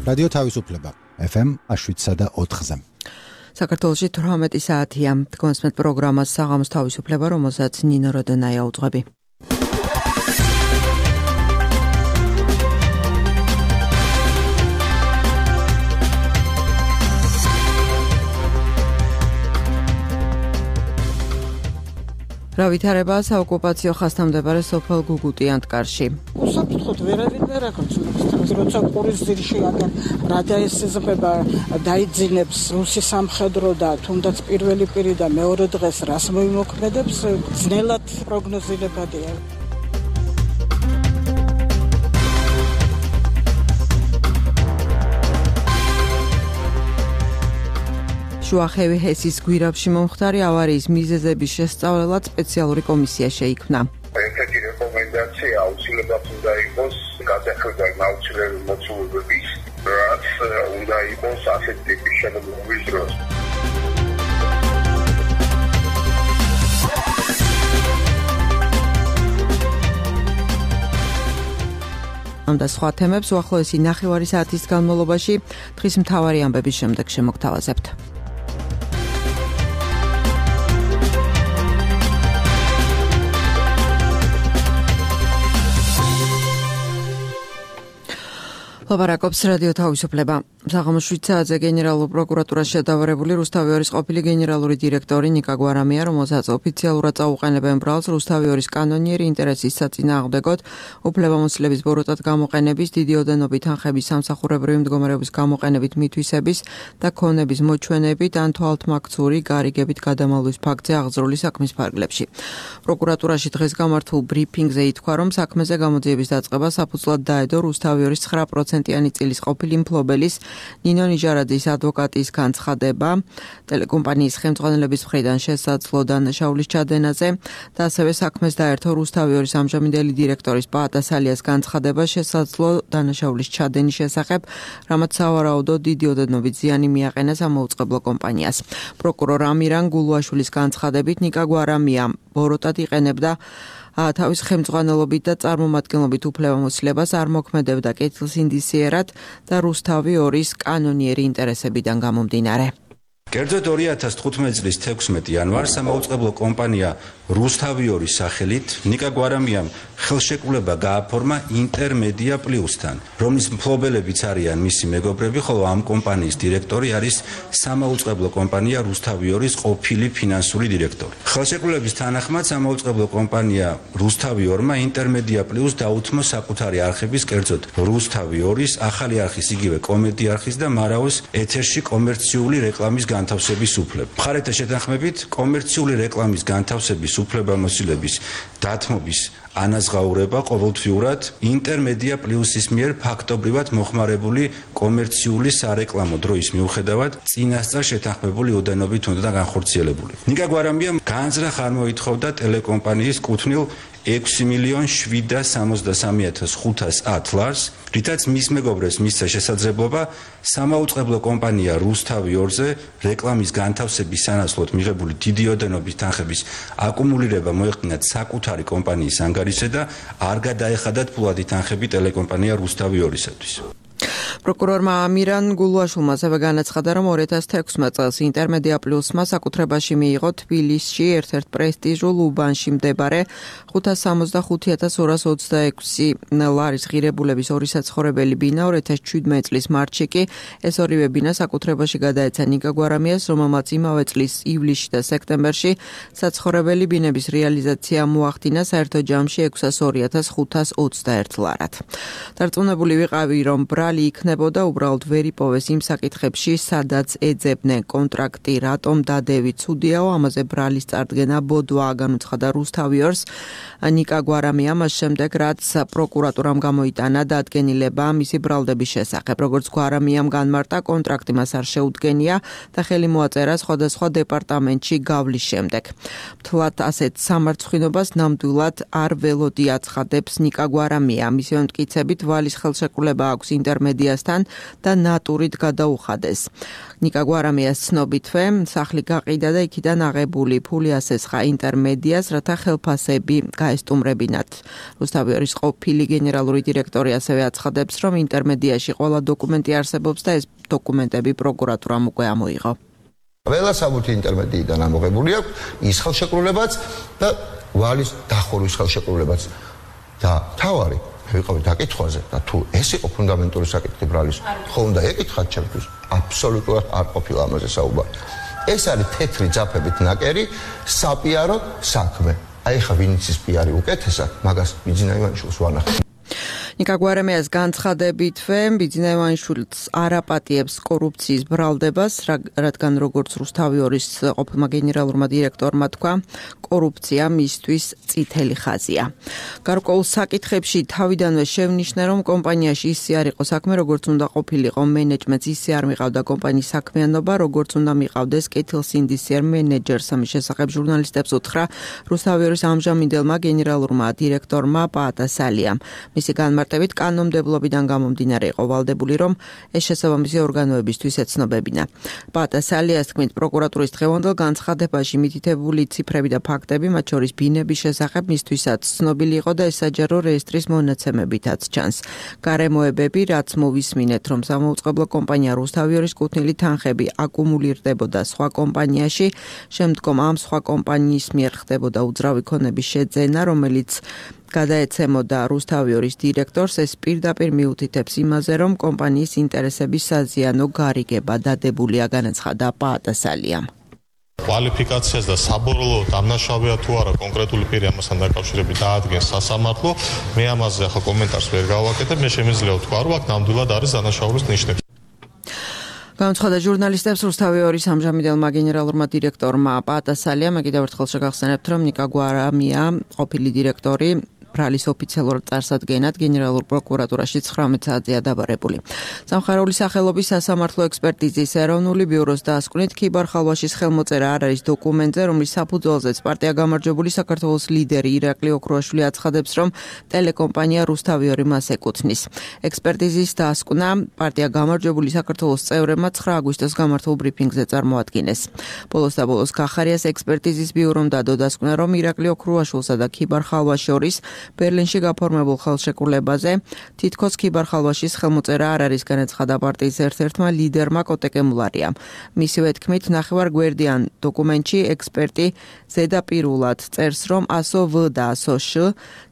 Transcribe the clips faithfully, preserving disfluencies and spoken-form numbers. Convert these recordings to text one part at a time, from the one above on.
რადიო თავისუფლება ეფ ემ შვიდსა და ოთხზე. საქართველოში თვრამეტი საათია. თქვენსმეთ პროგრამას საღამოს თავისუფლება, რომელსაც ნინო როდონაია უძღვები. რა ვითარება საოკუპაციო ხაზთან მდებარე სოფელ გუგუტი-ანტკარში. უსაფრთხოდ ვერავინ ვერ აკონტროლებს. როცა ყურის ძირში აგან რადიოესიზება დაიძინებს რუსი სამხედრო და თუნდაც პირველი პირი და მეორე დღეს რას მოიმოქმედებს, ძნელად პროგნოზირებადია. შუახევი ჰესის გვირაბში მომხდარი ავარიის მიზეზების შესწავლელად სპეციალური კომისია შეიქმნა. ერთ-ერთი რეკომენდაცია აუცილებლად უნდა იყოს გადახედვა აუცილებელი მოცულობების, რაც უნდა იყოს ასეთ ტიპის შემოგვიმვის დროს. ამ და სხვა თემებს უახლოესი ნახევარი საათის განმავლობაში დღის მთავარი ამბების შემდეგ შემოგთავაზებთ. ლაპარაკობს რადიო თავისუფლება. საღამოს შვიდ საათზე გენერალურ პროკურატურაში შედავარებული რუსთავი ორის ყოფილი გენერალური დირექტორი ნიკა გვარამია, რომელსაც ოფიციალურად წაუყენებენ ბრალს რუსთავი ორის კანონიერი ინტერესის საწინააღმდეგოდ უფლებამოსილების ბოროტად გამოყენების, დიდი ოდენობით თანხების სამსახურებრივი მდგომარეობის გამოყენებით მითვისების და ქონების მოჩვენებით ან თვალთმაქცური გარიგებით გადამალვის ფაქტზე აღძრული საქმის ფარგლებში. პროკურატურაში დღეს გამართულ ბრიფინგზე ითქვა, რომ საქმეზე გამოძიების დაწყება საფუძვლად დაედო რუსთავი ორის ცხრა პროცენტიანი წილის ყოფილი მფლობელის ნინო ნიჟარაძის ადვოკატის განცხადება ტელეკომპანიის ხელმძღვანელების მხრიდან შესაძლო დანაშაულის ჩადენაზე და ასევე საქმეს დაერთო რუსთავი ორის ამჟამინდელი დირექტორის პაატა სალიას განცხადება შესაძლო დანაშაულის ჩადენის შესახებ, რამაც სავარაუდოდ დიდი ოდენობით ზიანი მიაყენა სამაუწყებლო კომპანიას. პროკურორ ამირან გულუაშვილის განცხადებით ნიკა გვარამია ბოროტად იყენებდა თავის ხელმძღვანელობით და წარმომადგენლობით უფლებამოსილებას არ მოქმედებდა კეთილს ინდისიერად და რუსთავი ორის კანონიერი ინტერესებიდან გამომდინარე. კერძოდ ორი ათას თხუთმეტი წლის თექვსმეტი იანვარს სამაუწყებლო კომპანია რუსთავი ორის სახელით ნიკა გვარამიამ ხელშეკრულება გააფორმა ინტერმედია პლუსთან, რომლის მფლობელებიც არიან მისი მეგობრები, ხოლო ამ კომპანიის დირექტორი არის სამაუწყებლო კომპანია რუსთავი ორის ყოფილი ფინანსური დირექტორი. ხელშეკრულების თანახმად სამაუწყებლო კომპანია რუსთავი ორმა ინტერმედია პლუს დაუთმო საკუთარი არხების, კერძოდ რუსთავი ორის, ახალი არხის, იგივე კომენტი არხის და მარაოს ეთერში კომერციული რეკლამის განთავსების უფლება. მხარეთა შეთანხმებით კომერციული რეკლამის განთავსების უფლებამოსილების დათმობის ანაზღაურება ყოველთვიურად ინტერმედია პლუსის მიერ ფაქტობრივად მოხმარებული კომერციული სარეკლამო დროის მიუხედავად წინასწარ შეთანხმებული ოდენობით უნდა განხორციელებული. ნიკა გვარამიამ განზრახ არ მოითხოვდა ტელეკომპანიის კუთვნილ ექვსი მილიონ შვიდსათ სამოცდასამი ათას ხუთას ათ ლარს, რითაც მის მეგობრებს მისცა შესაძლებლობა სამაუწყებლო კომპანია რუსთავი ორზე რეკლამის განთავსების სანაცვლოდ მიღებული დიდი ოდენობის თანხების აკუმულირება მოეხდინათ საკუთარი კომპანიის ანგარიშზე და არ გადაეხადათ ფულადი თანხები ტელეკომპანია რუსთავი ორისათვის. პროკურორმა ამირან გულუაშვილმა ასევე განაცხადა, რომ ორი ათას თექვსმეტ წელს ინტერმედია პლუსმა საკუთრებაში მიიღო თბილისში ერთ-ერთ პრესტიჟულ უბანში მდებარე ხუთას სამოცდახუთი ათას ორას ოცდაექვსი ლარის ღირებულების ორი საცხოვრებელი ბინა. ორი ათას შვიდმეტი წლის მარტში კი ეს ორივე ბინა საკუთრებაში გადაეცა ნიკა გვარამიას, რომელმაც იმავე წლის ივლისში და სექტემბერში საცხოვრებელი ბინების რეალიზაცია მოახდინა საერთო ჯამში ექვსას ორი ათას ხუთას ოცდაერთ ლარად. დარწმუნებული ვიყავი, რომ ბრალი იქნებოდა, უბრალოდ ვერ იპოვეს იმ საკითხებში, სადაც ეძებდნენ კონტრაქტი, რატომ დადევი ცუდიაო, ამაზე ბრალის წარდგენა ბოდვაა, განუცხადა რუსთავი ორს ნიკა გვარამია მას შემდეგ, რაც პროკურატურამ გამოიტანა დადგენილება მისი ბრალდების შესახებ. როგორც გვარამიამ განმარტა, კონტრაქტი მას არ შეუდგენია და ხელი მოაწერა სხვადასხვა დეპარტამენტში გავლის შემდეგ. მთლად ასეთ სამარცხვინობას ნამდვილად არ ველოდი აცხადებს ნიკა გვარამია. მისი მტკიცებით ვალის ხელშეკრულება აქვს ინტერმედიას ამასთან და ნატურით გადაუხადეს. ნიკა გვარამიას ცნობითვე, სახლი გაყიდა და იქიდან აღებული ფული ასესხა ინტერმედიას, რათა ხელფასები გაესტუმრებინათ. რუსთავიორის ყოფილი გენერალური დირექტორი ასევე აცხადებს, რომ ინტერმედიაში ყველა დოკუმენტი არსებობს და ეს დოკუმენტები პროკურატურამ უკვე ამოიღო. ყველა საბუთი ინტერმედიიდან ამოღებული აქვს ის ხელშეკრულებაც და ვალის დახურვის ხელშეკრულებაც და თავარი ვიყავი დაკითხვაზე და თუ ეს იყო ფუნდამენტური საკითხი ბრალის ხო უნდა ეკითხათ ჩემთვის აბსოლუტურად არ ყოფილა ამაზე საუბარი ეს არის თეთრი ძაფებით ნაკერი საპიარო საქმე აი ხა ვინც ის პიარი უკეთესად მაგას ბიძინა ივანიშვილს ვანახავ ნიკა გვარამიას განცხადებითვე ბიძინა ივანიშვილს არ აპატიებს კორუფციის ბრალდებას, რადგან როგორც რუსთავიორის ყოფილმა გენერალურმა დირექტორმა თქვა, კორუფცია მისთვის წითელი ხაზია. გარკვეულ საკითხებში თავიდანვე შევნიშნა, რომ კომპანიაში ისე არ იყო საქმე, როგორც უნდა ყოფილიყო მენეჯმენტს, ისე არ მიყავდა კომპანიის საქმიანობა, როგორც უნდა მიყავდეს კეთილსინდისიერ მენეჯერს. ამის შესახებ ჟურნალისტებს უთხრა რუსთავიორის ამჟამინდელმა გენერალურმა დირექტორმა პაატასალიამ. მისი განმარტებით კანონმდებლობიდან გამომდინარე იყო ვალდებული, რომ ეს შესაბამისი ორგანოებისთვის ეცნობებინა. პაატასალიას თქმით, პროკურატურის დღევანდელ განცხადებაში მითითებული ციფრები და ფაქტები, მათ შორის ბინების შესახებ მისთვისაც ცნობილი იყო და ეს საჯარო რეესტრის მონაცემებითაც ჩანს. გარემოებები, რაც მოვისმინეთ, რომ სამაუწყებლო კომპანია რუსთავიორის კუთვნილი თანხები აკუმულირდებოდა სხვა კომპანიაში, შემდგომ ამ სხვა კომპანიის მიერ ხდებოდა უძრავი ქონების შეძენა, რომელიც გადაეცემოდა რუსთავიორის დირექტორს, ეს პირდაპირ მიუთითებს იმაზე, რომ კომპანიის ინტერესების საზიანო გარიგება დადებულია, განაცხადა პაატასალიამ. კვალიფიკაციას და საბოლოო დამნაშავეა თუ არა კონკრეტული პირი ამასთან დაკავშირებით დაადგენს სასამართლო, მე ამაზე ახლა კომენტარს ვერ გავაკეთებ, მე შემიძლია ვთქვა, რომ აქ ნამდვილად არის დანაშაულის ნიშნები. განაცხადა ჟურნალისტებს რუსთავიორის ამჟამინდელმა გენერალურმა დირექტორმა პაატასალიამ, კიდევ ერთხელ შეგახსენებთ, რომ ნიკა გვარამია, ყოფილი დირექტორი ბრალის ოფიციალურ წარსადგენად გენერალურ პროკურატურაში ცხრამეტ საათზეა დაბარებული. სამხარეული სახელობის სასამართლო ექსპერტიზის ეროვნული ბიუროს დასკვნით ქიბარ-ხალვაშის ხელმოწერა არ არის დოკუმენტზე, რომლის საფუძველზეც პარტია გამარჯვებული საქართველოს ლიდერი ირაკლი ოქრუაშვილი აცხადებს, რომ ტელეკომპანია რუსთავიორი მას ეკუთვნის. ექსპერტიზის დასკვნა პარტია გამარჯვებული საქართველოს წევრებმა ცხრა აგვისტოს გამართულ ბრიფინგზე წარმოადგინეს. ბოლოს და ბოლოს კახარიას ექსპერტიზის ბიურომ დადო დასკვნა, რომ ირაკლი ოქრუაშვილსა და ქიბარ-ხალვას შორის ბერლინში გაფორმებულ ხელშეკრულებაზე თითქოს ქიბარ-ხალვაშის ხელმოწერა არ არის, განაცხადა პარტიის ერთ-ერთმა ლიდერმა კოტეკემულარიამ. მისივე თქმით, ნახევარგვერდიან დოკუმენტში ექსპერტი ზედაპირულად წერს, რომ ასო ვ და ასო შ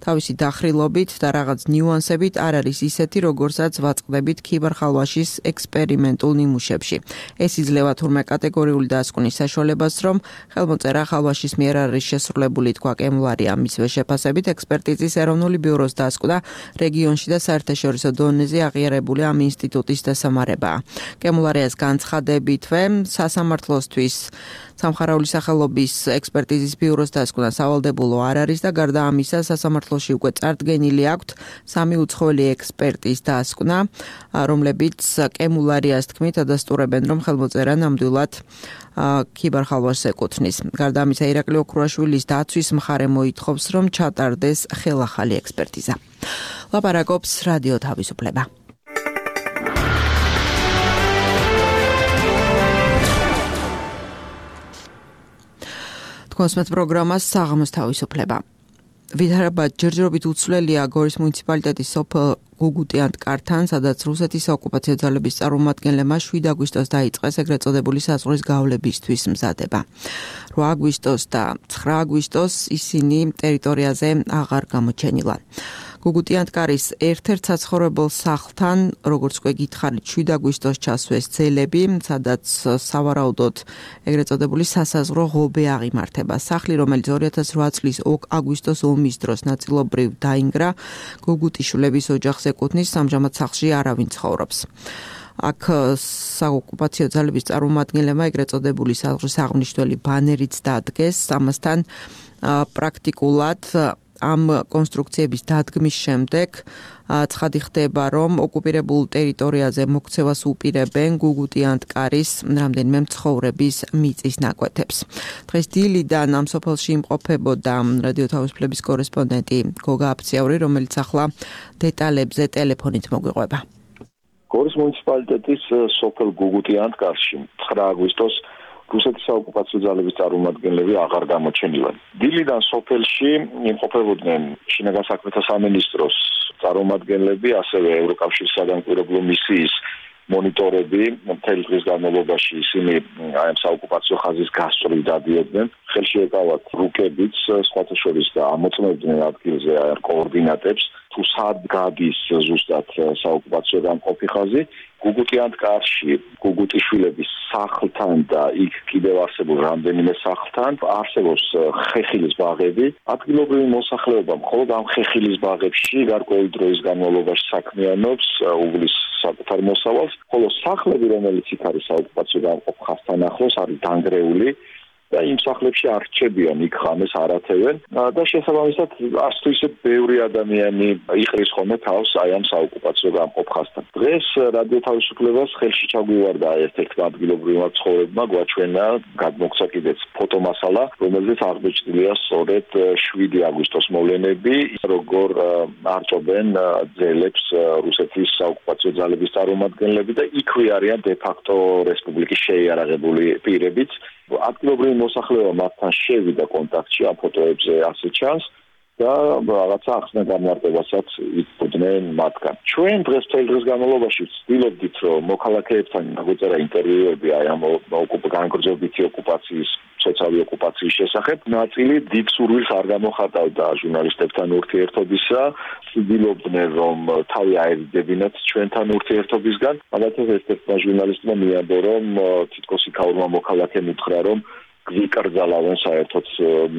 თავისი დახრილობით და რაღაც ნიუანსებით არ არის ისეთი, როგორცაც ვაწყდებით ქიბარ-ხალვაშის ექსპერიმენტულ ნიმუშებში. ეს იძლევა თურმე კატეგორიული დასკვნის საშუალებას, რომ ხელმოწერა ხალვაშის მიერ არის შესრულებული, თქვა კემულარიამ. მისივე შეფასებით ექსპერტი ეროვნული ბიუროს დასკვნა რეგიონში და საერთაშორისო დონეზე აღიარებული ამ ინსტიტუტის დასამარებაა. კემულარიას განცხადებითვე სასამართლოსთვის სამხარეული სახელობის ექსპერტიზის ბიუროს დასკვნა სავალდებულო არ არის და გარდა ამისა სასამართლოში უკვე წარდგენილი აქვთ სამი უცხოელი ექსპერტის დასკვნა, რომლებიც კემულარიას თქმით ადასტურებენ, რომ ხელმოწერა ნამდვილად ქიბარ-ხალვაშს ეკუთვნის. გარდა ამისა, ირაკლი ოქრუაშვილის დაცვის მხარე მოითხოვს, რომ ჩატარდეს ხელახალი ექსპერტიზა. ლაპარაკობს რადიო თავისუფლება. თქვენს პროგრამას საღამოს თავისუფლება. ვითარება ჯერჯერობით უცვლელია გორის მუნიციპალიტეტის სოფელ გუგუტიანტკართან, სადაც რუსეთის ოკუპაციო ძალების წარმომადგენლებმა შვიდ აგვისტოს დაიწყეს ეგრეთ წოდებული საზღვრის გავლებისთვის მზადება. რვა აგვისტოს და ცხრა აგვისტოს ისინი ტერიტორიაზე აღარ გამოჩენილან. გუგუტიანტკარის ერთ-ერთ საცხოვრებელ სახლთან, როგორც უკვე გითხარით, შვიდ აგვისტოს ჩასვეს ძელები, სადაც სავარაუდოდ ეგრეთ წოდებული სასაზღვრო ღობე აღიმართება. სახლი, რომელიც ორი ათას რვა წლის აგვისტოს ომის დროს ნაწილობრივ დაინგრა, გუგუტიშვილების ოჯახს ეკუთვნის, ამჟამად სახლში არავინ ცხოვრობს. აქ საოკუპაციო ძალების წარმომადგენლებმა ეგრეთ წოდებული საზღვრის აღნიშნული ბანერიც დადგეს, ამასთან პრაქტიკულად ამ კონსტრუქციების დადგმის შემდეგ ცხადი ხდება, რომ ოკუპირებულ ტერიტორიაზე მოქცევას უპირებენ გუგუტიანტკარის რამდენიმე მცხოვრების მიწის ნაკვეთებს. დღეს დილიდან ამ სოფელში იმყოფებოდა რადიო თავისუფლების კორესპონდენტი გოგა აფციაური, რომელიც ახლა დეტალებზე ტელეფონით მოგვიყვება. გორის დილის მუნიციპალიტეტის სოფელ გუგუტიანტკარში ცხრა აგვისტოს რუსეთის საოკუპაციო ძალების წარმომადგენლები აღარ გამოჩენილან. დილიდან სოფელში იმყოფებოდნენ შინაგან საქმეთა სამინისტროს წარმომადგენლები, ასევე ევროკავშირის სადამკვირვებლო მისიის მონიტორები მთელი დღის განმავლობაში ისინი აი ამ საოკუპაციო ხაზის გასწვრივ დადიოდნენ. ხელში ეკავათ რუკებიც, სხვათა შორის და ამოწმებდნენ ადგილზე აი კოორდინატებს, თუ სად გადის ზუსტად საოკუპაციო გამყოფი ხაზი. გუგუტიანტკარში გუგუტიშვილების სახლთან და იქ კიდევ არსებულ რამდენიმე სახლთან არსებობს ხეხილის ბაღები. ადგილობრივი მოსახლეობა მხოლოდ ამ ხეხილის ბაღებში გარკვეული დროის განმავლობაში საქმიანობს, უვლის საკუთარ მოსავალს, ხოლო სახლები, რომელიც იქ არის საოკუპაციო გამყოფ ხაზთან ახლოს, არის დანგრეული და იმ სახლებში არ რჩებიან, იქ ღამეს არ ათევენ და შესაბამისად არც თუ ისე ბევრი ადამიანი იყრის ხოლმე თავს აი ამ საოკუპაციო გამყოფ ხაზთან. დღეს რადიო თავისუფლებას ხელში ჩაგვივარდა ერთ-ერთი ადგილობრივმა ცხოვრებმა გვაჩვენა გადმოგცა კიდეც ფოტომასალა, რომელზეც აღბეჭდილია სწორედ შვიდი აგვისტოს მოვლენები, როგორ არჭობენ ძელებს რუსეთის საოკუპაციო ძალების წარმომადგენლები და იქვე არიან დე-ფაქტო რესპუბლიკის შეიარაღებული პირებიც. ადგილობრივი მოსახლეობა მათთან შევიდა კონტაქტში ამ ფოტოებზე ასე ჩანს და რაღაცა ახსნა განმარტებასაც იწვდნენ მათგან. ჩვენ დღეს მთელი დღის განმავლობაში ვცდილობდით, რომ მოქალაქეებთან დაგვეწერა ინტერვიუები აი ამ განგრძობითი ოკუპაციის, სოციალური ოკუპაციის შესახებ. ნაწილი დიდ სურვილს არ გამოხატავდა ჟურნალისტებთან ურთიერთობისა, ვცდილობდნენ, რომ თავი აერიდებინათ ჩვენთან ურთიერთობისგან. მაგალითად ერთ-ერთმა ჟურნალისტმა მიამბო, რომ თითქოს იქაურმა მოქალაქემ უთხრა, რომ გვიკრძალავენ საერთოდ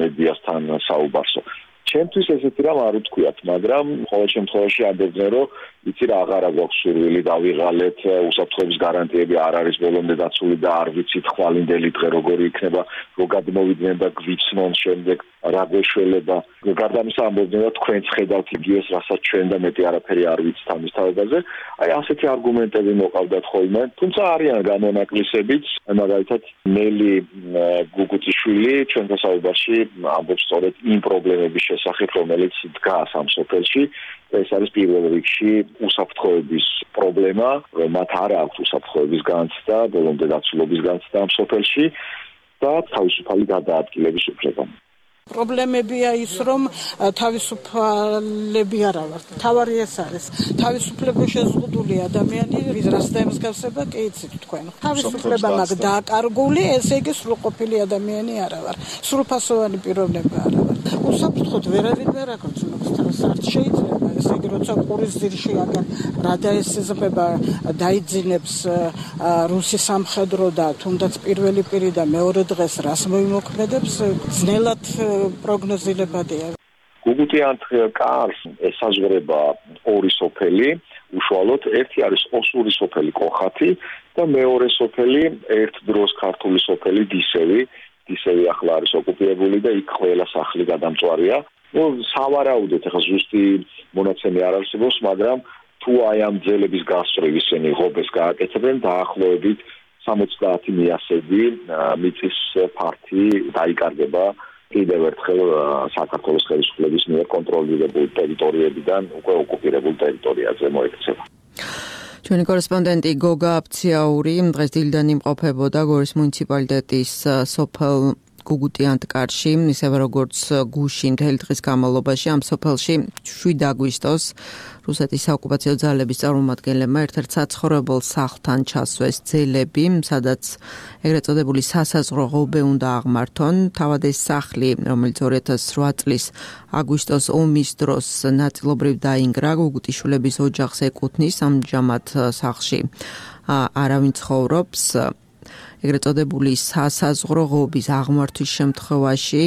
მედიასთან საუბარსო. ჩემთვის ესეთი რამ არ უთქვიათ, მაგრამ ყოველ შემთხვევაში ამბობდნენ, რომ იცი რა აღარა გვაქვს სურვილი დავიღალეთ, უსაფრთხოების გარანტიები არ არის ბოლომდე დაცული და არ ვიცით ხვალინდელი დღე როგორი იქნება, რო გადმოვიდნენ და გვიცნონ შემდეგ რა გვეშველება. გარდა ამისა ამბობდნენ, რომ თქვენც ხედავთ იგივეს, რასაც ჩვენ და მეტი არაფერი არ ვიცით ამის თავებაზე. აი ასეთი არგუმენტები მოყავდათ ხოლმე, თუმცა არიან გამონაკლისებიც, მაგალითად ნელი გუგუტიშვილი ჩვენთან საუბარში ამბობს სწორედ იმ პრობლემების შესახებ, რომელიც დგას ამ სოფელში. ეს არის პირველ რიგში უსაფრთხოების პრობლემა, რომ მათ არ აქვს უსაფრთხოების განცდა, ბოლომდე დაცულობის განცდა ამ სოფელში და თავისუფალი გადაადგილების უფლება. პრობლემებია ის, რომ თავისუფლები არა ვართ. თავარი ეს არის. თავისუფლება შეზღუდული ადამიანი, ვიზრას დაემსგავსება, კი იცით თქვენ. თავისუფლება მაქვს დააკარგული, ესე იგი სრულყოფილი ადამიანი არა ვარ. სრულფასოვანი პიროვნება არა ვარ. უსაფრთხოდ ვერავინ ვერ აკრძალავს თავს, არ შეიძლება. ესე იგი, როცა ყურის ძირში აგან რა დაესწრება, დაიძინებს რუსი სამხედრო და თუნდაც პირველი პირი და მეორე დღეს რას მოიმოქმედებს, ძნელად პროგნოზირებადია. გუგუტიანტკარს ესაზღვრება ორი სოფელი, უშუალოდ ერთი არის ოსური სოფელი კოხათი და მეორე სოფელი ერთ დროს ქართული სოფელი დისევი. დისევი ახლა არის ოკუპირებული და იქ ყველა სახლი გადამწვარია. ნუ სავარაუდოდ ახლა ზუსტი მონაცემი არ არსებობს, მაგრამ თუ აი ამ ძელების გასწვრივ ისინი ღობეს გააკეთებენ, დაახლოებით სამოცდაათი მიასედი მიწის ფართი დაიკარგება კიდევ ერთხელ საქართველოს ხელისუფლების მიერ კონტროლირებულ ტერიტორიებიდან უკვე ოკუპირებულ ტერიტორიაზე მოექცევა. ჩვენი კორესპონდენტი გოგა აფციაური დღეს დილიდან იმყოფებოდა გორის მუნიციპალიტეტის სოფელ გუგუტიანტკარში, ისევე როგორც გუშინ მთელი დღის განმავლობაში ამ სოფელში შვიდ აგვისტოს რუსეთის საოკუპაციო ძალების წარმომადგენლებმა ერთ-ერთ საცხოვრებელ სახლთან ჩასვეს ძელები, სადაც ეგრეთ წოდებული სასაზღვრო ღობე უნდა აღმართონ. თავად ეს სახლი, რომელიც ორი ათას რვა წლის აგვისტოს ომის დროს ნაწილობრივ დაინგრა, გუგუტიშვილების ოჯახს ეკუთვნის, ამჟამად სახლში არავინ ცხოვრობს. ეგრეთ წოდებული სასაზღვრო ღობის აღმართვის შემთხვევაში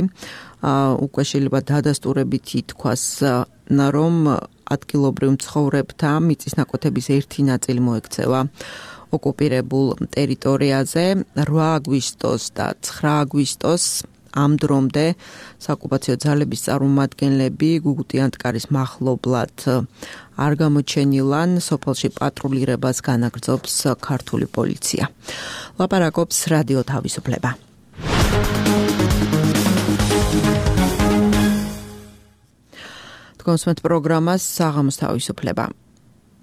უკვე შეიძლება დადასტურებით ითქვას, რომ ადგილობრივ მცხოვრებთა მიწის ნაკვეთების ერთი ნაწილი მოექცევა ოკუპირებულ ტერიტორიაზე. რვა აგვისტოს და ცხრა აგვისტოს ამ დრომდე საოკუპაციო ძალების წარმომადგენლები გუგუტიანტკარის მახლობლად არ გამოჩენილან, სოფელში პატრულირებას განაგრძობს ქართული პოლიცია. ლაპარაკობს რადიო თავისუფლება. კონსუმენტ პროგრამას საღამოს თავისუფლება.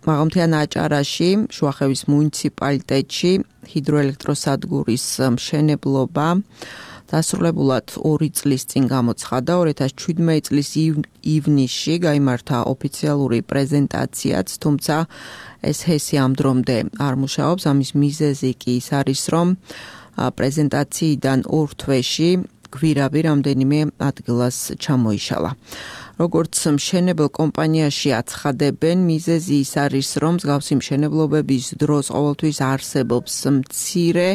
მაღალმთიან აჭარაში, შუახევის მუნიციპალიტეტში ჰიდროელექტროსადგურის მშენებლობა დასრულებულად ორი წლის წინ გამოცხადა. ორი ათას შვიდმეტი წლის ივნისში გაიმართა ოფიციალური პრეზენტაციაც, თუმცა ეს ჰესი ამ დრომდე არ მუშაობს. ამის მიზეზი კი ის არის, რომ პრეზენტაციიდან ორ თვეში გვირაბი რამდენიმე ადგილას ჩამოიშალა. როგორც მშენებელ კომპანიაში აცხადებენ, მიზეზი ის არის, რომ მსგავსი მშენებლობების დროს ყოველთვის არსებობს მცირე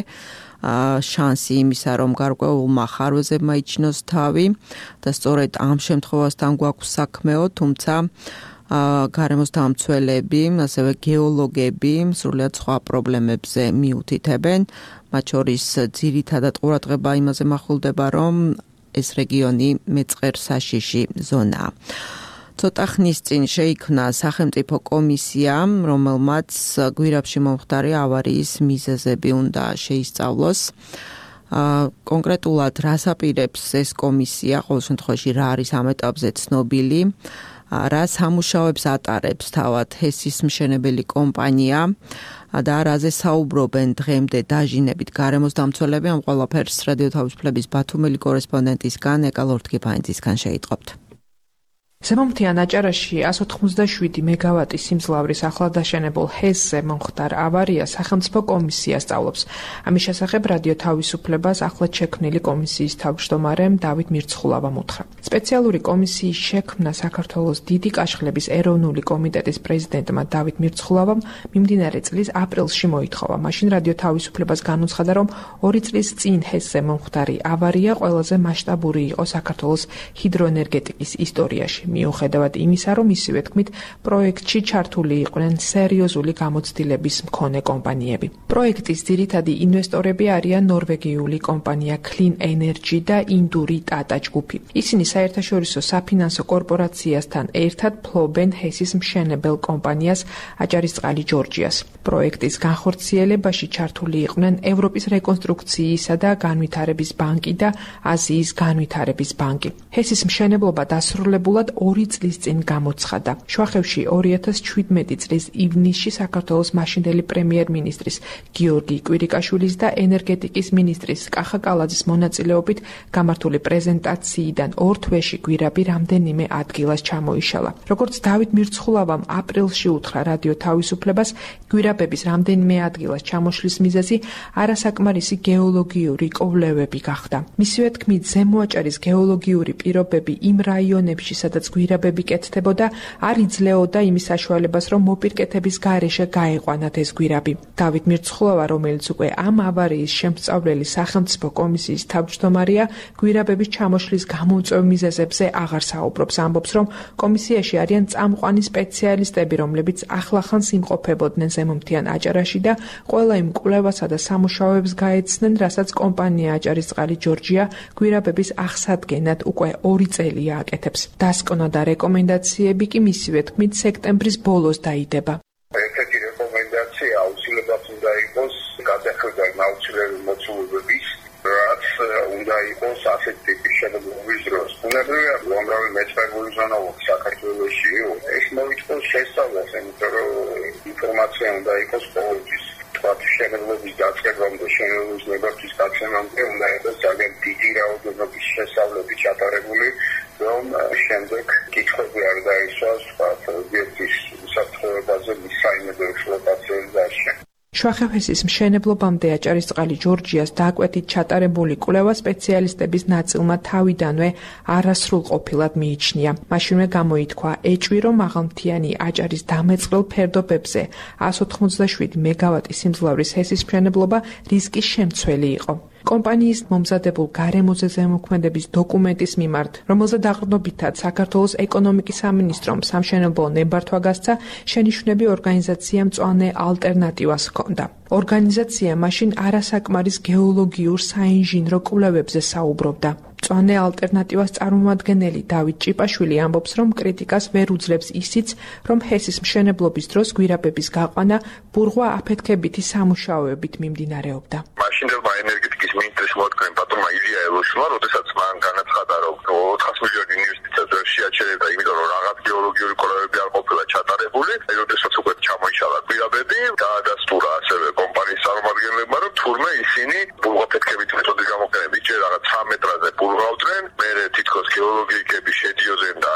შანსი იმისა, რომ გარკვეულმა ხარვეზებმა იჩინოს თავი და სწორედ ამ შემთხვევასთან გვაქვს საქმეო, თუმცა გარემოს დამცველები, ასევე გეოლოგები სრულიად სხვა პრობლემებზე მიუთითებენ. მათ შორის ძირითადად ყურადღება იმაზე მახვილდება, რომ ეს რეგიონი მეწყერსაშიში ზონაა. ცოტა ხნის წინ შეიქმნა სახელმწიფო კომისია, რომელმაც გვირაბში მომხდარი ავარიის მიზეზები უნდა შეისწავლოს. კონკრეტულად რას აპირებს ეს კომისია, ყოველ შემთხვევაში რა არის ამ ეტაპზე ცნობილი, რა სამუშაოებს ატარებს თავად ჰესის მშენებელი კომპანია და რაზე საუბრობენ დღემდე დაჟინებით გარემოს დამცველები. ამ ყველაფერს რადიო თავისუფლების ბათუმელი კორესპონდენტისგან ეკა ლორთგიფანიძისგან შეიტყობთ. ზემომთიან აჭარაში εκατს ოთხმოცდაშვიდი მეგავატის სიმძლავრის ახლადაშენებულ ჰესზე მომხდარ ავარიას სახელმწიფო კომისია სწავლობს. ამის შესახებ რადიო თავისუფლებას ახლად შექმნილი კომისიის თავმჯდომარემ დავით მირცხულავამ უთხრა. სპეციალური კომისიის შექმნა საქართველოს დიდი კაშხლების ეროვნული კომიტეტის პრეზიდენტმა დავით მირცხულავამ მიმდინარე წლის აპრილში მოითხოვა. მაშინ რადიო თავისუფლებას განუცხადა, რომ ორი წლის წინ ჰესზე მომხდარი ავარია ყველაზე მასშტაბური იყო საქართველოს ჰიდროენერგეტიკის ისტორიაში. მიუხედავად იმისა, რომ ისივე თქმით, პროექტში ჩართული იყვნენ სერიოზული გამოცდილების მქონე კომპანიები. პროექტის ძირითადი ინვესტორები არიან ნორვეგიული კომპანია Clean Energy და ინდური Tata ჯგუფი. ისინი საერთაშორისო საფინანსო კორპორაციასთან ერთად ფლობენ ჰესის მშენებელ კომპანიას აჭარისწყალი ჯორჯიას. პროექტის განხორციელებაში ჩართული იყვნენ ევროპის რეკონსტრუქციისა და განვითარების ბანკი და აზიის განვითარების ბანკი. ჰესის მშენებლობა დასრულებულად ორი წლის წინ გამოცხადა. შუახევში ორი ათას შვიდმეტი წლის ივნისში საქართველოს მაშინდელი პრემიერ-მინისტრის გიორგი კვირიკაშვილის და ენერგეტიკის მინისტრის კახა კალაძის მონაწილეობით გამართული პრეზენტაციიდან ორ თვეში გვირაბი რამდენიმე ადგილას ჩამოიშალა. როგორც დავით მირცხულავამ აპრილში უთხრა რადიო თავისუფლებას, გვირაბების რამდენიმე ადგილას ჩამოშლის მიზეზი არასაკმარისი გეოლოგიური კვლევები გახდა. მისივე თქმით, ზემო აჭარის გეოლოგიური პირობები იმ რაიონებში, სადაც გვირაბები კეთდებოდა, არ იძლეოდა იმის საშუალებას, რომ მოპირკეთების გარეშე გაეყვანათ ეს გვირაბი. დავით მირცხულავა, რომელიც უკვე ამ ავარიის შემსწავლელი სახელმწიფო კომისიის თავმჯდომარეა, გვირაბების ჩამოშლის გამომწვევ მიზეზებზე აღარ საუბრობს. ამბობს, რომ კომისიაში არიან წამყვანი სპეციალისტები, რომლებიც ახლახანს იმყოფებოდნენ ზემომთიან აჭარაში და ყველა იმ კვლევასა და სამუშაოებს გაეცნენ, რასაც კომპანია აჭარისწყალი ჯორჯია გვირაბების აღსადგენად უკვე ორი წელია აკეთებს. დასკვნა და რეკომენდაციები კი მისივე თქმით სექტემბრის ბოლოს დაიდება. ერთ-ერთი რეკომენდაცია აუცილებლად უნდა იყოს გადახედვა აუცილებელი მოცულობების, რაც უნდა იყოს ასეთი ტიპის შენებლობის დროს. უნებრივია, უამრავი მეცნიერული ზონა საქართველოში ეს მოითხოვს შესწავლას, იმიტომ რომ ინფორმაცია უნდა იყოს ყოველთვის. თქვათ შენებლობის დაწყებამდე, შენებლობის ნებართვის გაცემამდე უნდა იყოს ძალიან დიდი რაოდენობის შესწავლები ჩატარებული, რომ შემდეგ კითხვები არ დაისვას ობიექტის საფრთხეებაზე მის საიმედო ექსპლუატაციაზე დაშენ. შუახევსის მშენებლობამდე აჭარისწყალი ჯორჯიას დაკვეთით ჩატარებული კვლევა სპეციალისტების ნაწილმა თავიდანვე არასრულყოფილად მიიჩნია. მაშინვე გამოითქვა ეჭვი, რომ მაღალმთიანი აჭარის დამეწყრელ ფერდობებზე εκατს ოთხმოცდაშვიდი მეგავატის სიმძლავრის ჰესის მშენებლობა რისკის შემცველი იყო. კომპანიის მომზადებულ გარემოზე ზემოქმედების დოკუმენტის მიმართ, რომელზე დაყრდნობითად საქართველოს ეკონომიკის სამინისტრომ სამშენებლო ნებართვა გასცა, შენიშვნები ორგანიზაციამ მწვანე ალტერნატივას ჰქონდა. ორგანიზაცია მაშინ არასაკმარის გეოლოგიურ საინჟინრო კვლევებზე საუბრობდა. მწვანე ალტერნატივას წარმომადგენელი დავით ჭიპაშვილი ამბობს, რომ კრიტიკას ვერ უძლებს ისიც, რომ ჰესის მშენებლობის დროს გვირაბების გაყვანა ბურღვა აფეთქებითი სამუშაოებით მიმდინარეობდა. მაშინდელმა ენერგეტიკის მინისტრის მოადგენ ბატონმა ილია ელოშმა, როდესაც მან განაცხადა, რომ ოთხას მილიონი ინვესტიციას ვერ შეაჩერებდა, იმიტომ რომ რაღაც გეოლოგიური კვლევები არ ყოფილა ჩატარებული, აი როდესაც უკვე ჩამო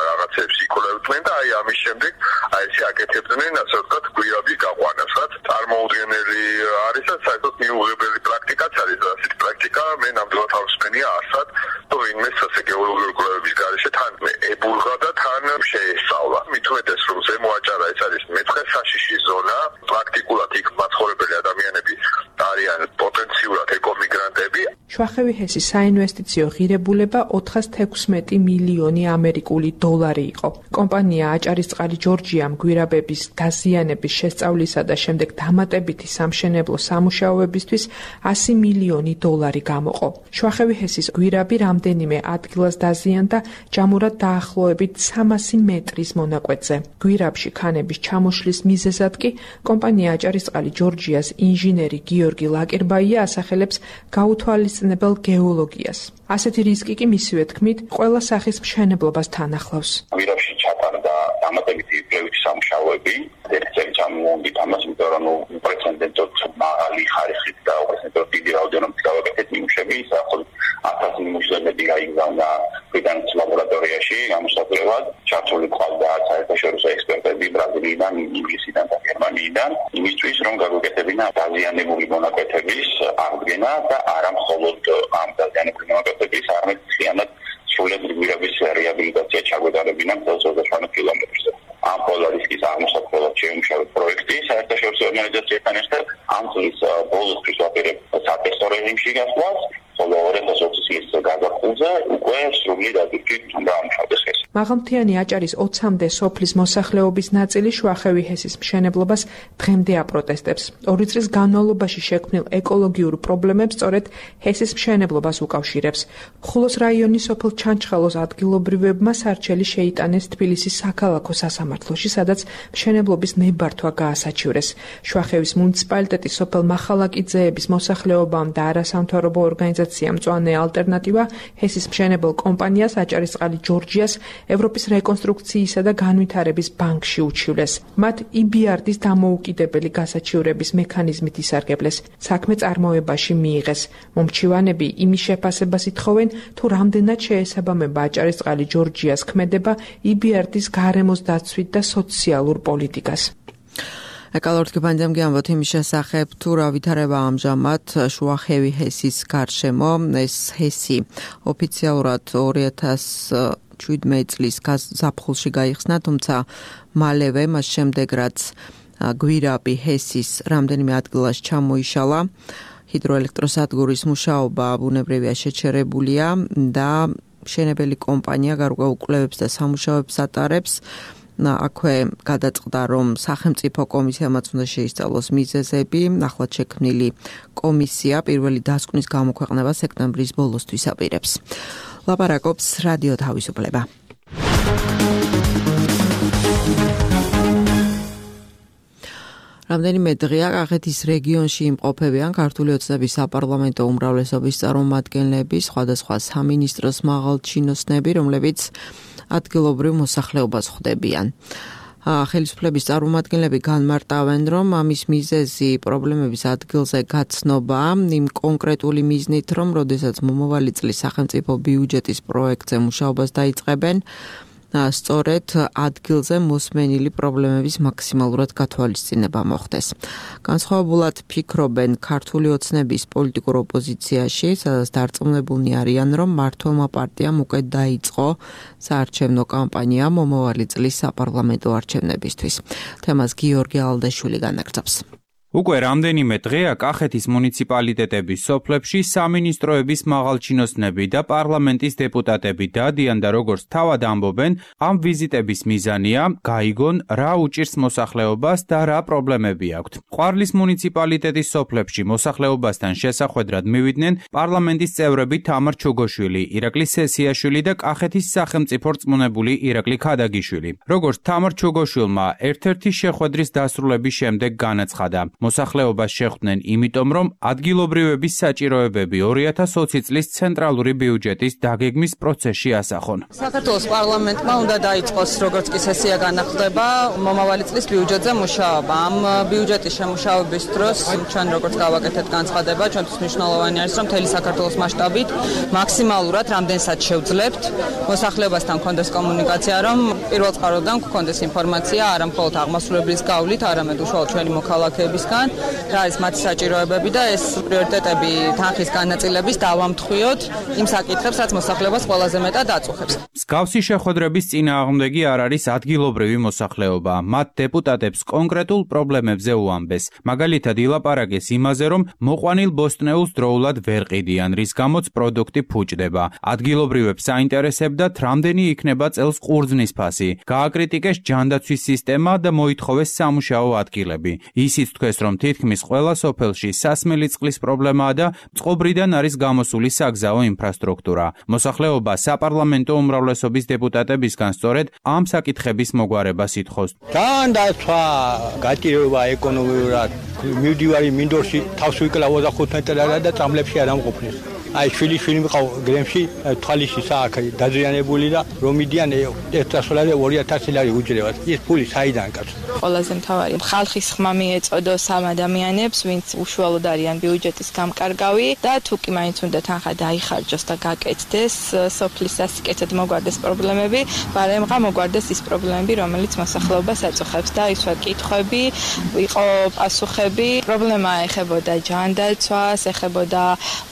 რაღაცებს იკვლევდნენ და აი ამის შემდეგ აი ესე აკეთებდნენ, ასე ვთქვათ, გვირაბის გაყვანას, რაც წარმოუდგენელი არის და საერთოდ მიუღებელი პრაქტიკაც არის. ასეთი პრაქტიკა მე ნამდვილად ავსმენია ასად, თუ ვინმე ასე გეოლოგიური კვლევების გარეშე თან ებულღა და თან შეესწავლა. მით უმეტეს რომ ზემო აჭარა ეს არის მეცხრე საშიში ზონა, პრაქტიკულად იქ მაცხოვრებელი ადამიანები არიან პოტენციურად ეკომიგრანტები. შუახევი ჰესის საინვესტიციო ღირებულება ოთხას თექვსმეტი მილიონი ამერიკული დოლარი იყო. კომპანია აჭარისწყალი ჯორჯიამ გვირაბების დაზიანების შესწავლისა და შემდეგ დამატებითი სამშენებლო სამუშაოებისთვის ასი მილიონი დოლარი გამოყო. შუახევი ჰესის გვირაბი რამდენიმე ადგილას დაზიანდა ჯამურად დაახლოებით სამასი მეტრის მონაკვეთზე. გვირაბში ქანების ჩამოშლის მიზეზად კი კომპანია აჭარისწყალი ჯორჯიას ინჟინერი გიორგი ლაკერბაია ასახელებს გაუთვალისწინებელ გეოლოგიას. ასეთი რისკი კი მისივე თქმით ყველა სახის მშენებლობას თან ახლავს. გვირაბში ჩატარდა დამატებითი კვლევითი სამუშაოები, ერთი წელი ჩამოვიდით ამას, იმიტომ რომ უპრეცედენტოდ მაღალი ხარისხით და უპრეცედენტოდ დიდი რაოდენობით გავაკეთეთ ნიმუშები, საერთოდ ათასი ნიმუშები გაიგზავნა ბრიტანეთის ლაბორატორიაში გამოსაკვლევად, ჩართული ყავდა საერთაშორისო ექსპერტები ბრაზილიიდან, ინგლისიდან და გერმანიიდან, იმისთვის რომ გაგვეკეთებინა დაზიანებული მონაკვეთების აღდგენა და არა მხოლოდ ამ დაზიანებული მონაკვეთების, არამედ მთლიანად სრულად გვირაბის რეაბილიტაცია ჩაგვეტარებინა მთელ ოცდაშვიდ კილომეტრზე. ამ პოლარისკის აღმოსაქმნელად შეიმუშავეთ პროექტი საერთაშორისო ორგანიზაციასთან ერთად. ამ წლის ბოლოსთვის ვაპირებ სატესტო რეჟიმში გასვლას, ხოლო ორი ათას ოცი წლის გაზაფხულზე უკვე სრულად ადვილი დაამუშავდეს ეს. მაღალმთიანი აჭარის ოცამდე სოფლის მოსახლეობის ნაწილი შუახევი ჰესის მშენებლობას დღემდე აპროტესტებს. ორი წლის განმავლობაში შექმნილ ეკოლოგიურ პრობლემებს სწორედ ჰესის მშენებლობას უკავშირებს. ხულოს რაიონის სოფელ ჩანჩხალოს ადგილობრივებმა სარჩელი შეიტანეს თბილისის საქალაქო სასამართლოში, სადაც მშენებლობის ნებართვა გაასაჩივრეს. შუახევის მუნიციპალიტეტის სოფელ მახალაკიძეების მოსახლეობამ და არასამთავრობო ორგანიზაციამ მწვანე ალტერნატივა ჰესის მშენებელ კომპანიას აჭარისწყალი ჯორჯიას ევროპის რეკონსტრუქციისა და განვითარების ბანკში უჩივლეს. მათ ი ბი არ დის დამოუკიდებელი გასაჩივრების მექანიზმით ისარგებლეს. საქმე წარმოებაში მიიღეს. მომჩივანები იმის შეფასებას ითხოვენ, თუ რამდენად შეესაბამება აჭარისწყალი ჯორჯიას ქმედება ი ბი არ დის გარემოს დაცვით და სოციალურ პოლიტიკას. ეკალორთკი პანდემი ამბობთ იმის შესახებ, თუ რა ვითარება ამჟამად შუახევი ჰესის გარშემო. ეს ჰესი ოფიციალურად ორი ათას შვიდმეტი წლის ზაფხულში გაიხსნა, თუმცა მალევე მას შემდეგ რაც გვირაბი ჰესის რამდენიმე ადგილას ჩამოიშალა, ჰიდროელექტროსადგურის მუშაობა ბუნებრივია შეჩერებულია და მშენებელი კომპანია გარკვეულ კვლევებს და სამუშაოებს ატარებს. აქვე გადაწყდა, რომ სახელმწიფო კომისიამაც უნდა შეისწავლოს მიზეზები. ახლად შექმნილი კომისია პირველი დასკვნის გამოქვეყნებას სექტემბრის ბოლოსთვის აპირებს. ლაპარაკობს რადიო თავისუფლება. რამდენიმე დღეა კახეთის რეგიონში იმყოფებიან ქართული ოცნების საპარლამენტო უმრავლესობის წარმომადგენლები, სხვადასხვა სამინისტროს მაღალჩინოსნები, რომლებიც ადგილობრივ მოსახლეობას ხვდებიან. ხელისუფლების წარმომადგენლები განმარტავენ, რომ ამის მიზეზი პრობლემების ადგილზე გაცნობა იმ კონკრეტული მიზნით, რომ როდესაც მომავალი წლის სახელმწიფო ბიუჯეტის პროექტზე მუშაობას დაიწყებენ, სწორედ ადგილზე მოსმენილი პრობლემების მაქსიმალურად გათვალისწინება მოხდეს. განსხვავებულად ფიქრობენ ქართული ოცნების პოლიტიკურ ოპოზიციაში, სადაც დარწმუნებულნი არიან, რომ მმართველმა პარტიამ უკვე დაიწყო საარჩევნო კამპანია მომავალი წლის საპარლამენტო არჩევნებისთვის. თემას გიორგი ალდაშვილი განაგრძობს. უკვე რამდენიმე დღეა კახეთის მუნიციპალიტეტების სოფლებში სამინისტროების მაღალჩინოსნები და პარლამენტის დეპუტატები დადიან და როგორც თავად ამბობენ, ამ ვიზიტების მიზანია გაიგონ რა უჭირს მოსახლეობას და რა პრობლემები აქვთ. ყვარლის მუნიციპალიტეტის სოფლებში მოსახლეობასთან შესახვედრად მივიდნენ პარლამენტის წევრები თამარ ჩუგოშვილი, ირაკლი სესიაშვილი და კახეთის სახელმწიფო რწმუნებული ირაკლი ქადაგიშვილი. როგორც თამარ ჩუგოშვილმა ერთ-ერთი შეხვედრის დასრულების შემდეგ განაცხადა, მოსახლეობას შეხვდნენ იმიტომ, რომ ადგილობრივების საჭიროებები ორი ათას ოცი წლის ცენტრალური ბიუჯეტის დაგეგმის პროცესში ასახონ. საქართველოს პარლამენტმა უნდა დაიწყოს, როგორც კი სესია განახლდება, მომავალი წლის ბიუჯეტზე მუშაობა. ამ ბიუჯეტის შემუშავების დროს ჩვენ როგორც გავაკეთეთ განცხადება, ჩვენთვის მნიშვნელოვანი არის, რომ მთელი საქართველოს მასშტაბით მაქსიმალურად რამდენსაც შევძლებთ, მოსახლეობასთან გქონდეს კომუნიკაცია, რომ პირველ წყაროდან გქონდეს ინფორმაცია არა მხოლოდ აღმასრულებლის გავლით, არამედ უშუალოდ ჩვენი მოქალაქეებისგან, რა არის მათი საჭიროებები და ეს პრიორიტეტები თანხის განაწილების დავამთხვიოთ იმ საკითხებს, რაც მოსახლეობას ყველაზე მეტად აწუხებს. მსგავსი შეხვედრების წინააღმდეგი არ არის ადგილობრივი მოსახლეობა. მათ დეპუტატებს კონკრეტულ პრობლემებზე უამბეს. მაგალითად ილაპარაკეს იმაზე, რომ მოყვანილ ბოსტნეულს დროულად ვერ ყიდიან, რის გამოც პროდუქტი ფუჭდება. ადგილობრივებს საინტერესებდათ, რამდენი იქნება წელს ყურძნის ფასი. გააკრიტიკეს ჯანდაცვის სისტემა და მოითხოვეს სამუშაო ადგილები. ისიც თქვეს, რომ თითქმის ყველა სოფელში სასმელი წყლის პრობლემაა და წყობრიდან არის გამოსული საგზაო ინფრასტრუქტურა. მოსახლეობა საპარლამენტო უმრავლესობის დეპუტატებისგან სწორედ ამ საკითხების მოგვარებას ითხოვს. განდაცვა, გატირება ეკონომიურად, მივდივარი მინდორში თავს ვიკლავ ოცდახუთ მეტრად და წამლებში არ ამყოფნის. აი შვილი შვილი მიყავ გრემში თვალიში სააქი დაზიანებული და რომ მიდიან ერთასოლაზე ორი ათასი ლარი უჯრედად. ეს ფული საიდან კაცო? ყველაზე მთავარი ხალხის ხმა მიეწოდოს ამ ადამიანებს, ვინც უშუალოდ არიან ბიუჯეტის გამკარგავი და თუ კი მაინც უნდა თანხა დაიხარჯოს და გაკეთდეს, სოფლის სასიკეთოდ მოგვარდეს პრობლემები, ბარემღა მოგვარდეს ის პრობლემები, რომელიც მოსახლეობას აწუხებს და ის ვარ კითხვები, იყო პასუხები. პრობლემა ეხებოდა ჯანდაცვას, ეხებოდა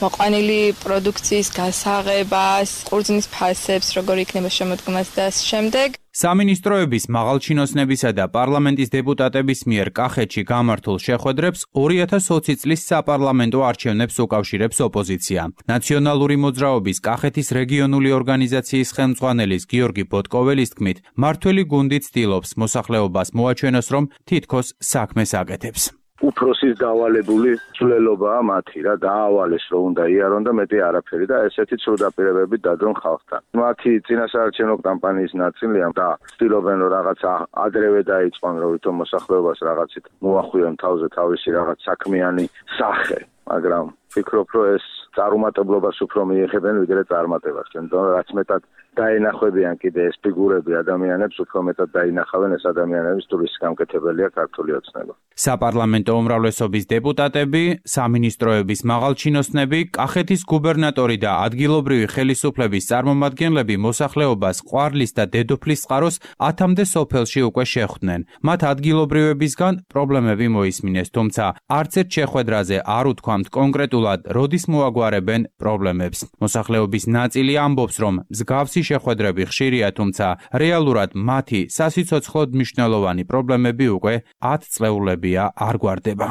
მოყვანილი პროდუქციის გასაღებას, ყურძნის ფასებს, როგორ იქნება შემოდგმას და შემდეგ. სამინისტროების მაღალჩინოსნებისა და პარლამენტის დეპუტატების მიერ კახეთში გამართულ შეხვედრებს ორი ათას ოცი წლის საპარლამენტო არჩევნებს უკავშირებს ოპოზიცია. ნაციონალური მოძრაობის კახეთის რეგიონული ორგანიზაციის ხელმძღვანელის გიორგი ბოტკოველის თქმით, მმართველი გუნდი ცდილობს მოსახლეობას მოაჩვენოს, რომ თითქოს საქმეს აკეთებს. უფროსის დავალებული ცვლილობაა მათი რა დაავალეს რომ უნდა იარონ და მეტი არაფერი და ესეთი ცუდაპირებები დადრონ ხალხთან. მათი წინასაარჩევნო კამპანიის ნაწილია და ცდილობენ რომ რაღაც ადრევე დაიწყონ რომ ვითომ მოსახლეობას რაღაცით მოახვიონ თავზე თავისი რაღაც საქმიანი სახე, მაგრამ ვფიქრობ რომ ეს წარუმატებლობას უფრო მიეხებენ ვიდრე წარმატებას. თუმცა რაც მეტად დაინახებიან კიდე ეს ფიგურები ადამიანებს, უფრო მეტად დაინახავენ ეს ადამიანების ტურისტის გამკეთებელია ქართული ოცნება. საპარლამენტო უმრავლესობის დეპუტატები, სამინისტროების მაღალჩინოსნები, კახეთის გუბერნატორი და ადგილობრივი ხელისუფლების წარმომადგენლები მოსახლეობას ყვარლის და დედოფლის წყაროს ათამდე სოფელში უკვე შეხვდნენ. მათ ადგილობრივებისგან პრობლემები მოისმინეს, თუმცა არც ერთ შეხვედრაზე არ უთქვამთ კონკრეტულად, როდის მოაგვარებენ პრობლემებს. მოსახლეობის ნაწილი ამბობს, რომ მსგავსი შეხვედრები ხშირია, თუმცა რეალურად მათი სასიცოცხლოდ მნიშვნელოვანი პრობლემები უკვე ათ წლეულებია არ გვარდება.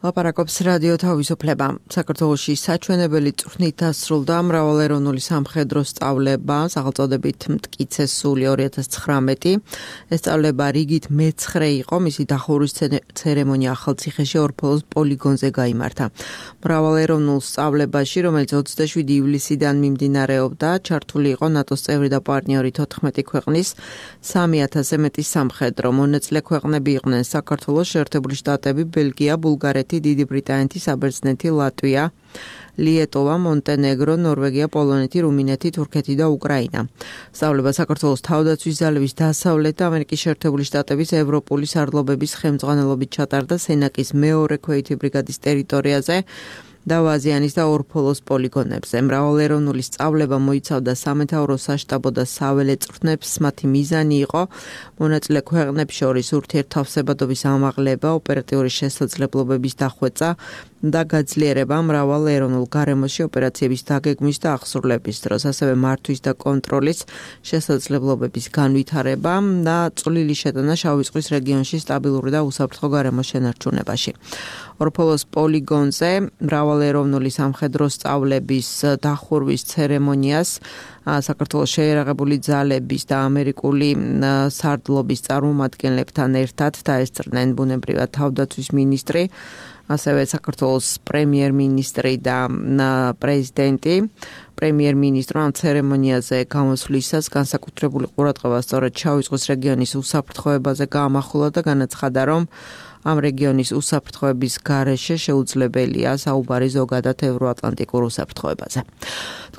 ლაპარაკობს რადიო თავისუფლება. საქართველოში საჩვენებელი წვრთნით დასრულდა მრავალეროვნული სამხედრო სწავლება, სახელწოდებით მტკიცე სული ორი ათას ცხრამეტი. ეს სწავლება რიგით მეცხრე იყო, მისი დახურვის ცერემონია ახალციხეში ორფოლოს პოლიგონზე გაიმართა. მრავალეროვნულ სწავლებაში, რომელიც ოცდაშვიდი ივლისიდან მიმდინარეობდა, ჩართული იყო ნატოს წევრი და პარტნიორი თოთხმეტი ქვეყნის სამი ათასზე მეტი სამხედრო. მონაწილე ქვეყნები იყვნენ საქართველოს, შეერთებული შტატები, ბელგია, ბულგარეთი, დიდი ბრიტანეთი, საბერძნეთი, ლატვია, ლიეტოვა, მონტენეგრო, ნორვეგია, პოლონეთი, რუმინეთი, თურქეთი და უკრაინა. სწავლება საქართველოს თავდაცვის ძალების დასავლეთ და ამერიკის შეერთებული შტატების ევროპული სარდლობების ხელმძღვანელობით ჩატარდა სენაკის მეორე ქვეითი ბრიგადის ტერიტორიაზე და ვაზიანის და ორფოლოს პოლიგონებზე. მრავალეროვნული სწავლება მოიცავდა სამეთაურო, საშტაბო და საველე წვრთნებს. მათი მიზანი იყო მონაწილე ქვეყნებს შორის ურთიერთთავსებადობის ამაღლება, ოპერატიული შესაძლებლობების დახვეწა და გაძლიერება მრავალეროვნულ გარემოში ოპერაციების დაგეგმვის და აღსრულების დროს, ასევე მართვის და კონტროლის შესაძლებლობების განვითარება და წვლილი შეტანა შავი ზღვის რეგიონში სტაბილური და უსაფრთხო გარემოს შენარჩუნებაში. ორფოლოს პოლიგონზე მრავალეროვნული სამხედრო სწავლების დახურვის ცერემონიას საქართველოს შეიარაღებული ძალების და ამერიკული სარდლობის წარმომადგენლებთან ერთად დაესწრნენ ბუნებრივად თავდაცვის მინისტრი ასევე საქართველოს პრემიერ-მინისტრი და პრეზიდენტი. პრემიერ-მინისტრმა ამ ცერემონიაზე გამოსვლისას განსაკუთრებული ყურადღება სწორედ შავი ზღვის რეგიონის უსაფრთხოებაზე გაამახვილა და განაცხადა, რომ ამ რეგიონის უსაფრთხოების გარეშე შეუძლებელია საუბარი ზოგადად ევროატლანტიკურ უსაფრთხოებაზე.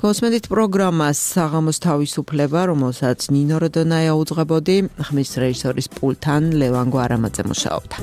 თქვენს პროგრამას საღამოს თავისუფლება, რომელსაც ნინო როდონაია უძღვებოდი, ხმის რეჟისორის პულთან ლევან გვარამაძე მუშაობდა.